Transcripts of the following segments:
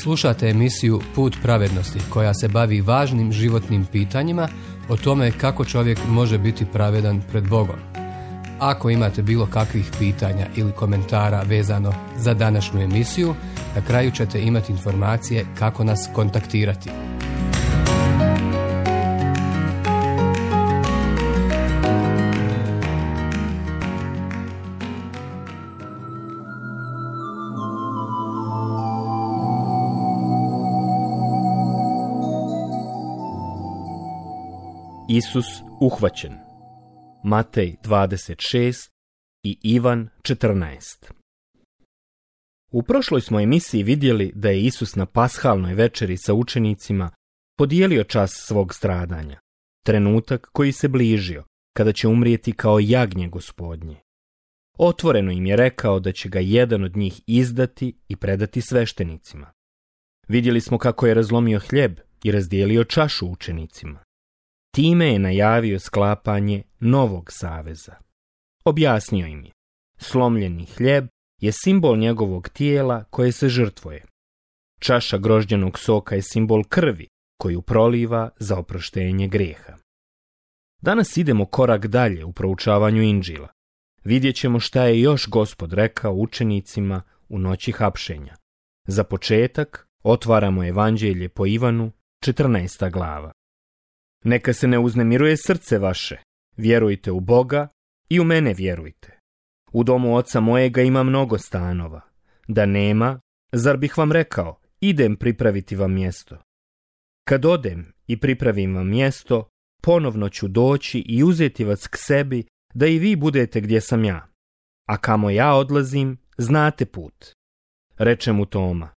Slušate emisiju Put pravednosti koja se bavi važnim životnim pitanjima o tome kako čovjek može biti pravedan pred Bogom. Ako imate bilo kakvih pitanja ili komentara vezano za današnju emisiju, na kraju ćete imati informacije kako nas kontaktirati. Isus uhvaćen. Matej 26 i Ivan 14. U prošloj smo emisiji vidjeli da je Isus na pashalnoj večeri sa učenicima podijelio čas svog stradanja, trenutak koji se bližio, kada će umrijeti kao jagnje Gospodnje. Otvoreno im je rekao da će ga jedan od njih izdati i predati sveštenicima. Vidjeli smo kako je razlomio hljeb i razdijelio čašu učenicima. Time je najavio sklapanje novog saveza. Objasnio im je, slomljeni hljeb je simbol njegovog tijela koje se žrtvuje. Čaša grožđenog soka je simbol krvi koju proliva za oproštenje grijeha. Danas idemo korak dalje u proučavanju Inđila. Vidjet ćemo šta je još Gospod rekao učenicima u noći hapšenja. Za početak otvaramo Evanđelje po Ivanu, 14. glava. Neka se ne uznemiruje srce vaše, vjerujte u Boga i u mene vjerujte. U domu oca mojega ima mnogo stanova. Da nema, zar bih vam rekao, idem pripraviti vam mjesto. Kad odem i pripravim vam mjesto, ponovno ću doći i uzeti vas k sebi, da i vi budete gdje sam ja. A kamo ja odlazim, znate put. Reče mu Toma,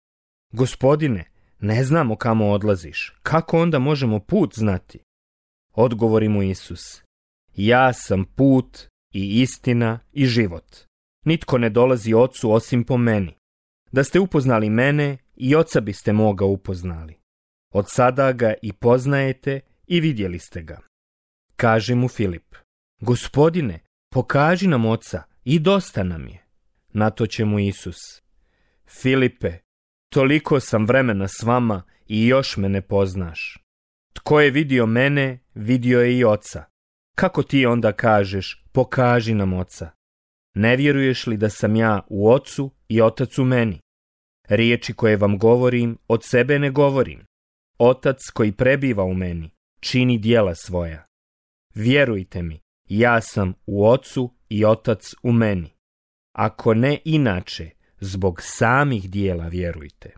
Gospodine, ne znamo kamo odlaziš, kako onda možemo put znati? Odgovori mu Isus, ja sam put i istina i život. Nitko ne dolazi ocu osim po meni. Da ste upoznali mene, i oca biste moga upoznali. Od sada ga i poznajete i vidjeli ste ga. Kaže mu Filip, Gospodine, pokaži nam oca i dosta nam je. Na to će mu Isus, Filipe, toliko sam vremena s vama i još me ne poznaš. Tko je vidio mene, vidio je i oca. Kako ti onda kažeš, pokaži nam oca? Ne vjeruješ li da sam ja u ocu i otac u meni? Riječi koje vam govorim, od sebe ne govorim. Otac koji prebiva u meni, čini djela svoja. Vjerujte mi, ja sam u ocu i otac u meni. Ako ne inače, zbog samih djela vjerujte.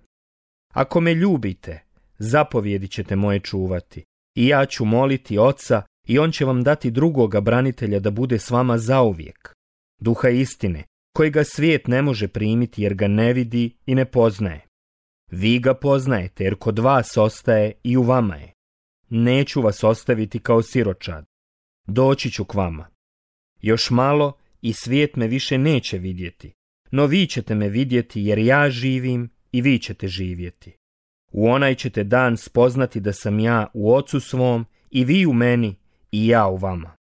Ako me ljubite, zapovjedi ćete moje čuvati, i ja ću moliti oca i on će vam dati drugoga branitelja da bude s vama zauvijek. Duha istine, kojega svijet ne može primiti jer ga ne vidi i ne poznaje. Vi ga poznajete jer kod vas ostaje i u vama je. Neću vas ostaviti kao siročad. Doći ću k vama. Još malo i svijet me više neće vidjeti, no vi ćete me vidjeti jer ja živim i vi ćete živjeti. U onaj ćete dan spoznati da sam ja u ocu svom i vi u meni i ja u vama.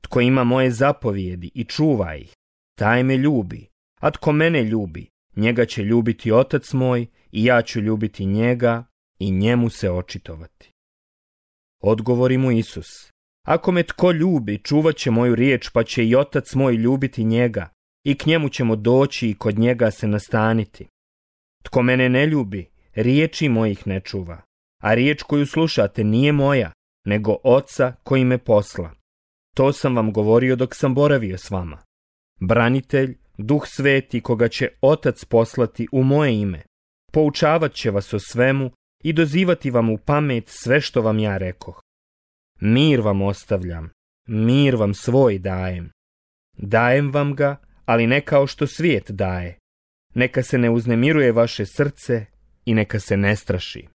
Tko ima moje zapovjedi i čuva ih, taj me ljubi, a tko mene ljubi, njega će ljubiti otac moj i ja ću ljubiti njega i njemu se očitovati. Odgovori mu Isus, ako me tko ljubi, čuvat će moju riječ, pa će i otac moj ljubiti njega i k njemu ćemo doći i kod njega se nastaniti. Tko mene ne ljubi, riječi mojih ne čuva, a riječ koju slušate nije moja, nego oca koji me posla. To sam vam govorio dok sam boravio s vama. Branitelj, Duh Sveti, koga će otac poslati u moje ime, poučavat će vas o svemu i dozivati vam u pamet sve što vam ja rekoh. Mir vam ostavljam, mir vam svoj dajem. Dajem vam ga, ali ne kao što svijet daje. Neka se ne uznemiruje vaše srce i neka se ne straši.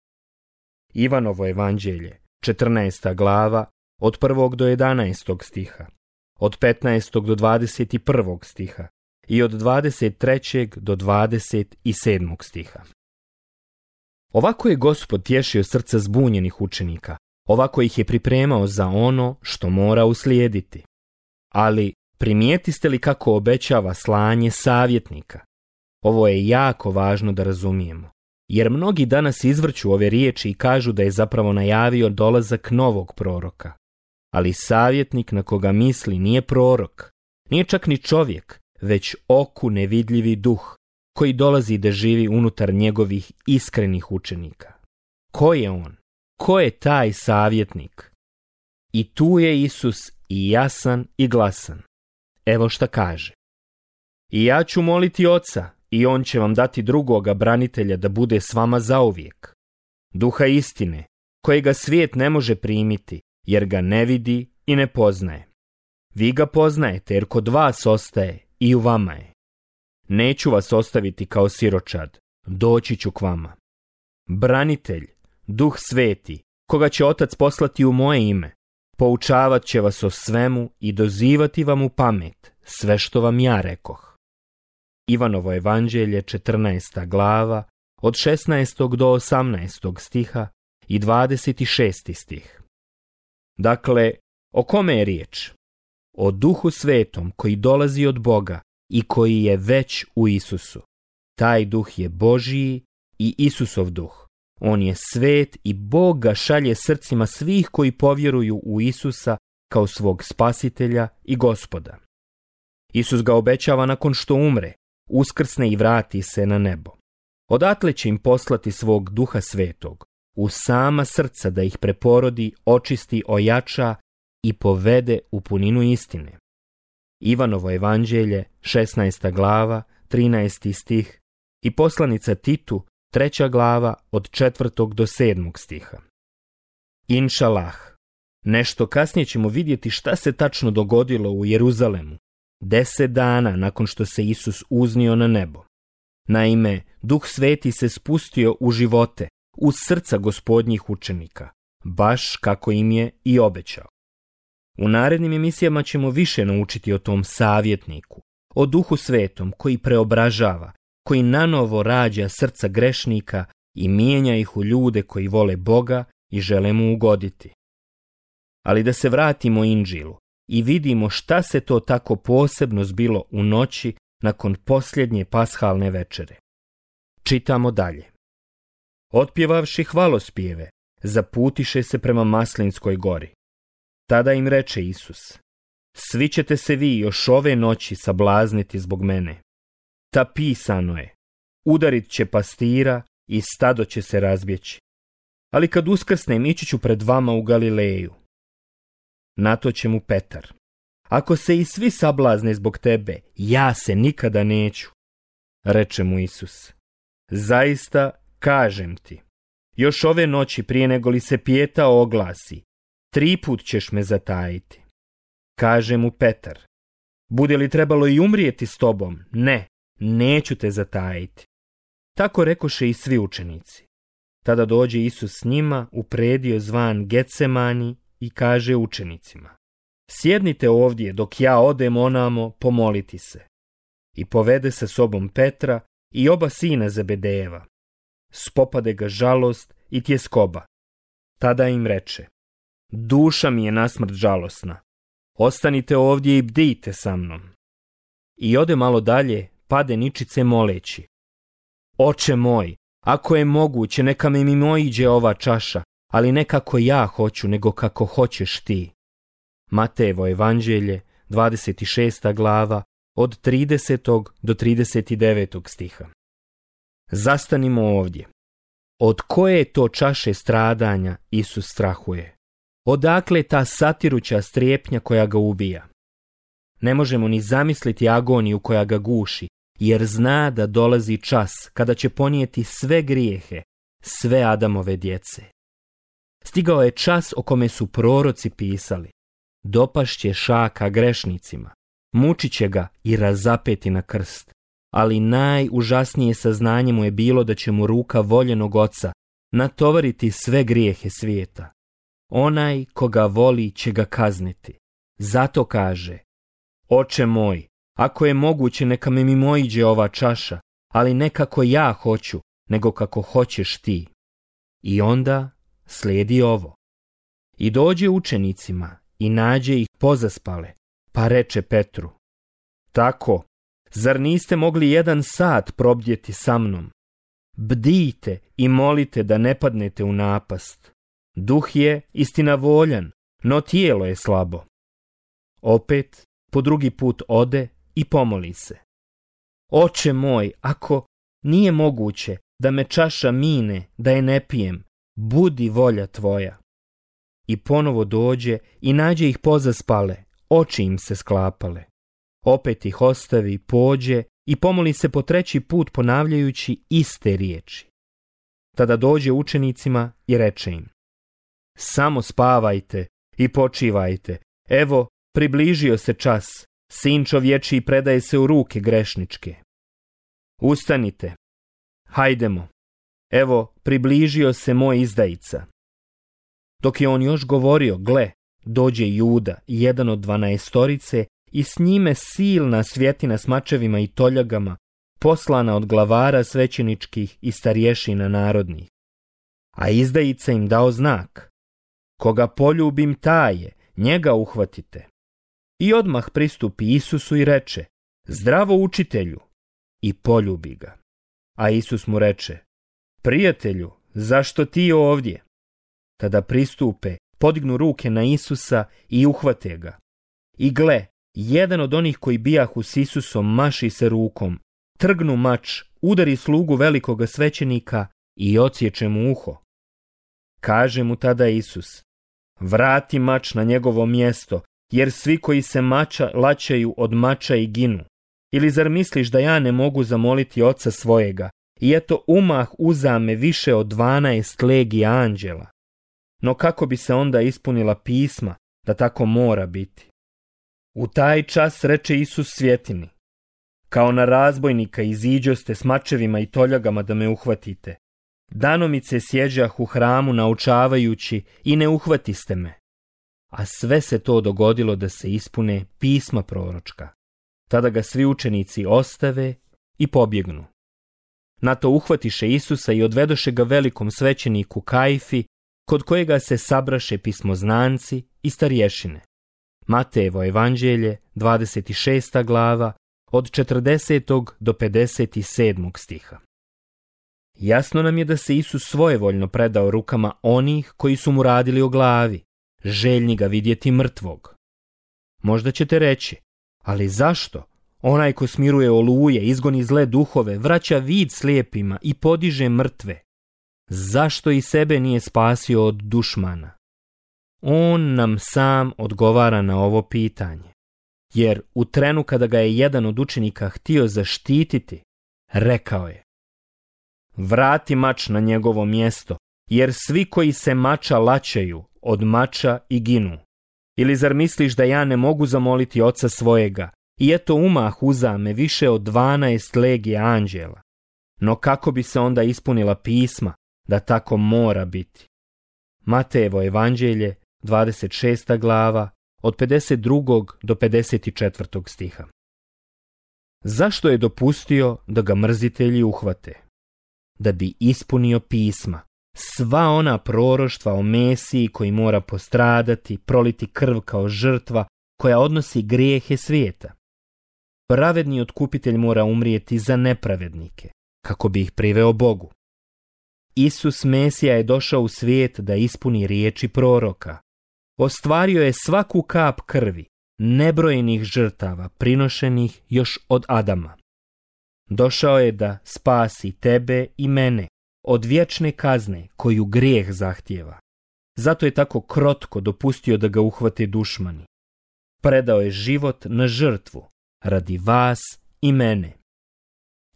Ivanovo evanđelje, 14. glava, od 1. do 11. stiha, od 15. do 21. stiha i od 23. do 27. stiha. Ovako je Gospod tješio srca zbunjenih učenika, ovako ih je pripremao za ono što mora uslijediti. Ali primijetiste li kako obećava slanje savjetnika? Ovo je jako važno da razumijemo. jer mnogi danas izvrću ove riječi i kažu da je zapravo najavio dolazak novog proroka. Ali savjetnik na koga misli nije prorok, nije čak ni čovjek, već oku nevidljivi duh, koji dolazi da živi unutar njegovih iskrenih učenika. Ko je on? Ko je taj savjetnik? I tu je Isus i jasan i glasan. Evo šta kaže. I ja ću moliti Oca, i on će vam dati drugoga branitelja da bude s vama zauvijek. Duha istine, kojega svijet ne može primiti, jer ga ne vidi i ne poznaje. Vi ga poznajete, jer kod vas ostaje i u vama je. Neću vas ostaviti kao siročad, doći ću k vama. Branitelj, Duh Sveti, koga će Otac poslati u moje ime, poučavat će vas o svemu i dozivati vam u pamet sve što vam ja rekoh. Ivanovo evanđelje, 14. glava, od 16. do 18. stiha i 26. stih. Dakle, o kome je riječ? O Duhu Svetom koji dolazi od Boga i koji je već u Isusu. Taj Duh je Božiji i Isusov Duh. On je svet i Bog ga šalje srcima svih koji povjeruju u Isusa kao svog spasitelja i Gospoda. Isus ga obećava nakon što umre, uskrsne i vrati se na nebo. Odatle će im poslati svog Duha Svetog, u sama srca da ih preporodi, očisti, ojača i povede u puninu istine. Ivanovo evanđelje, 16. glava, 13. stih i poslanica Titu, 3. glava, od 4. do 7. stiha. Inšalah, nešto kasnije ćemo vidjeti šta se tačno dogodilo u Jeruzalemu, 10 dana nakon što se Isus uznio na nebo. Naime, Duh Sveti se spustio u živote, u srca Gospodnjih učenika, baš kako im je i obećao. U narednim emisijama ćemo više naučiti o tom savjetniku, o Duhu Svetom koji preobražava, koji nanovo rađa srca grešnika i mijenja ih u ljude koji vole Boga i žele mu ugoditi. Ali da se vratimo Inđilu i vidimo šta se to tako posebno zbilo u noći nakon posljednje pashalne večere. Čitamo dalje. Otpjevavši hvalospjeve, zaputiše se prema Maslinskoj gori. Tada im reče Isus, svi ćete se vi još ove noći sablazniti zbog mene. Ta pisano je, udarit će pastira i stado će se razbjeći. Ali kad uskrsnem, ići ću pred vama u Galileju. Na to će mu Petar, ako se i svi sablazne zbog tebe, ja se nikada neću. Reče mu Isus, zaista kažem ti, još ove noći prije nego li se pjeta oglasi, 3 put ćeš me zatajiti. Kaže mu Petar, bude li trebalo i umrijeti s tobom? Ne, neću te zatajiti. Tako rekoše i svi učenici. Tada dođe Isus s njima u predio zvan Getsemani i kaže učenicima, sjednite ovdje dok ja odem onamo pomoliti se. I povede sa sobom Petra i oba sina Zebedejeva. Spopade ga žalost i tjeskoba. Tada im reče, duša mi je nasmrt žalosna, ostanite ovdje i bdijte sa mnom. I ode malo dalje, pade ničice moleći, Oče moj, ako je moguće, neka mi mimoiđe ova čaša, ali ne kako ja hoću, nego kako hoćeš ti. Matejevo evanđelje, 26. glava, od 30. do 39. stiha. Zastanimo ovdje. Od koje je to čaše stradanja Isus strahuje? Odakle ta satiruća strepnja koja ga ubija? Ne možemo ni zamisliti agoniju koja ga guši, jer zna da dolazi čas kada će ponijeti sve grijehe, sve Adamove djece. Stigao je čas o kome su proroci pisali. Dopašće šaka grešnicima, mučit će ga i razapeti na krst. Ali najužasnije saznanje mu je bilo da će mu ruka voljenog Oca natovariti sve grijehe svijeta. Onaj koga voli će ga kazniti. Zato kaže, Oče moj, ako je moguće neka mi mimoiđe ova čaša, ali ne kako ja hoću, nego kako hoćeš ti. I onda slijedi ovo. I dođe učenicima i nađe ih pozaspale, pa reče Petru, tako, zar niste mogli 1 sat probdjeti sa mnom? Bdijte i molite da ne padnete u napast. Duh je istina voljan, no tijelo je slabo. Opet, po drugi put ode i pomoli se. Oče moj, ako nije moguće da me čaša mine, da je ne pijem, budi volja tvoja. I ponovo dođe i nađe ih pozaspale, oči im se sklapale. Opet ih ostavi, pođe i pomoli se po treći put ponavljajući iste riječi. Tada dođe učenicima i reče im: samo spavajte i počivajte, evo, približio se čas, sin čovječiji predaje se u ruke grešničke. Ustanite, hajdemo, evo, približio se moj izdajica. Dok je on još govorio, gle, dođe Juda, jedan od 12, i s njime silna svjetina s mačevima i toljagama, poslana od glavara svećeničkih i starješina narodnih. A izdajica im dao znak: koga poljubim taje, njega uhvatite. I odmah pristupi Isusu i reče: zdravo učitelju, i poljubi ga. A Isus mu reče: prijatelju, zašto ti ovdje? Tada pristupe, podignu ruke na Isusa i uhvate ga. I gle, jedan od onih koji bijahu s Isusom maši se rukom, trgnu mač, udari slugu velikoga svećenika i odsječe mu uho. Kaže mu tada Isus: vrati mač na njegovo mjesto, jer svi koji se mača laćaju od mača i ginu. Ili zar misliš da ja ne mogu zamoliti Oca svojega, i eto umah uzame više od 12 legija anđela? No kako bi se onda ispunila pisma da tako mora biti? U taj čas reče Isus svjetini: kao na razbojnika iziđoste s mačevima i toljagama da me uhvatite. Danomice sjeđah u hramu naučavajući i ne uhvatiste me. A sve se to dogodilo da se ispune pisma proročka. Tada ga svi učenici ostave i pobjegnu. Na to uhvatiše Isusa i odvedoše ga velikom svećeniku Kajfi, kod kojega se sabraše pismoznanci i starješine. Matejevo evanđelje, 26. glava, od 40. do 57. stiha. Jasno nam je da se Isus svojevoljno predao rukama onih koji su mu radili o glavi, željni ga vidjeti mrtvog. Možda ćete reći: ali zašto? Onaj ko smiruje oluje, izgoni zle duhove, vraća vid slijepima i podiže mrtve. Zašto i sebe nije spasio od dušmana? On nam sam odgovara na ovo pitanje. Jer u trenu kada ga je jedan od učenika htio zaštititi, rekao je: vrati mač na njegovo mjesto, jer svi koji se mača laćaju od mača i ginu. Ili zar misliš da ja ne mogu zamoliti Oca svojega, i eto umah uzame više od 12 legija anđela? No kako bi se onda ispunila pisma da tako mora biti? Matejevo evanđelje, 26. glava, od 52. do 54. stiha. Zašto je dopustio da ga mrzitelji uhvate? Da bi ispunio pisma, sva ona proroštva o Mesiji koji mora postradati, proliti krv kao žrtva koja odnosi grijehe svijeta. Pravedni otkupitelj mora umrijeti za nepravednike, kako bi ih priveo Bogu. Isus Mesija je došao u svijet da ispuni riječi proroka. Ostvario je svaku kap krvi, nebrojenih žrtava prinošenih još od Adama. Došao je da spasi tebe i mene od vječne kazne koju grijeh zahtijeva. Zato je tako krotko dopustio da ga uhvate dušmani. Predao je život na žrtvu radi vas i mene.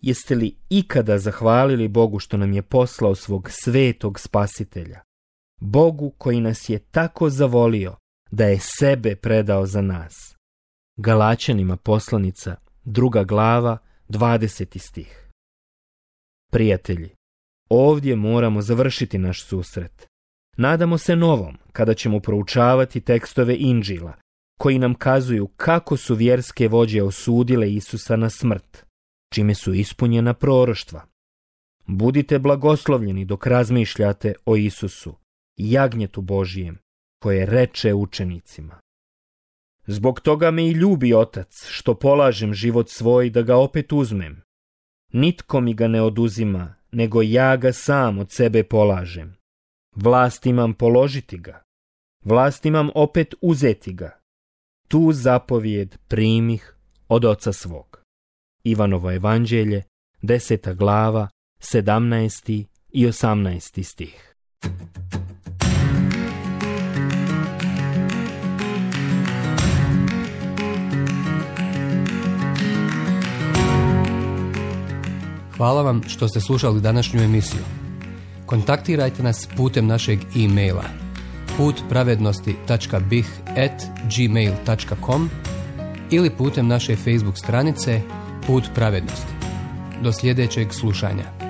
Jeste li ikada zahvalili Bogu što nam je poslao svog svetog spasitelja? Bogu koji nas je tako zavolio da je sebe predao za nas. Galačanima poslanica, 2. glava, 20. stih. Prijatelji, ovdje moramo završiti naš susret. Nadamo se novom, kada ćemo proučavati tekstove Inđila, koji nam kazuju kako su vjerske vođe osudile Isusa na smrt, čime su ispunjena proroštva. Budite blagoslovljeni dok razmišljate o Isusu, jagnjetu Božijem, koje reče učenicima: zbog toga me i ljubi Otac, što polažem život svoj da ga opet uzmem. Nitko mi ga ne oduzima, nego ja ga sam od sebe polažem. Vlast imam položiti ga, vlast imam opet uzeti ga. Tu zapovijed primih od oca svog. Ivanovo evanđelje, 10. glava, 17. i 18. stih. Hvala vam što ste slušali današnju emisiju. Kontaktirajte nas putem našeg e-maila putpravednosti.bih@gmail.com ili putem naše Facebook stranice Put pravednosti. Do sljedećeg slušanja.